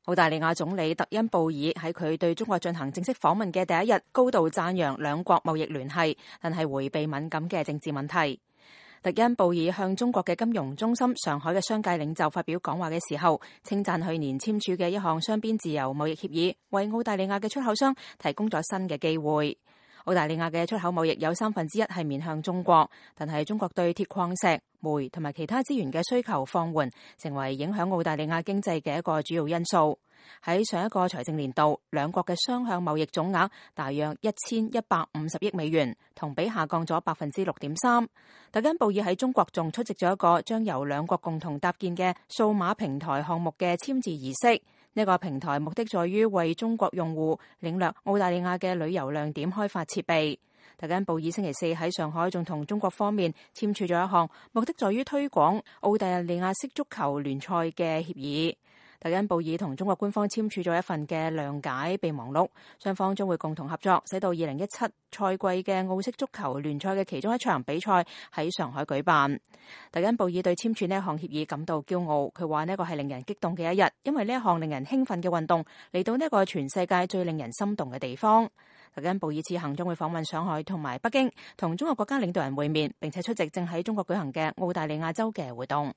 澳大利亞總理特恩布爾喺佢對中國進行正式訪問嘅第一日，高度讚揚兩國貿易聯繫，但係迴避敏感嘅政治問題。特恩布爾向中國嘅金融中心上海嘅商界領袖發表講話嘅時候，稱讚去年簽署嘅一項雙邊自由貿易協議，為澳大利亞嘅出口商提供咗新嘅機會。澳大利亞嘅出口貿易有1/3係面向中國，但係中國對鐵礦石、煤同埋其他資源嘅需求放緩，成為影響澳大利亞經濟嘅一個主要因素。喺上一個財政年度，兩國嘅雙向貿易總額大約1150億美元，同比下降咗6.3%。特恩布爾喺中國仲出席咗一個將由兩國共同搭建嘅數碼平台項目嘅簽字儀式。呢個平台目的在於為中國用戶領略澳大利亞嘅旅遊亮點開發設備。特恩布爾星期四喺上海仲同中國方面簽署咗一項目的在於推廣澳大利亞式足球聯賽嘅協議。特恩布爾同中國官方簽署咗一份嘅諒解備忘錄，雙方將會共同合作，使到2017賽季嘅澳式足球聯賽嘅其中一場比賽喺上海舉辦。特恩布爾對簽署呢一項協議感到驕傲，佢話呢個係令人激動嘅一日，因為呢一項令人興奮嘅運動嚟到呢個全世界最令人心動嘅地方。特恩布爾此行將會訪問上海同埋北京，同中國國家領導人會面，並且出席正喺中國舉行嘅澳大利亞週嘅活動。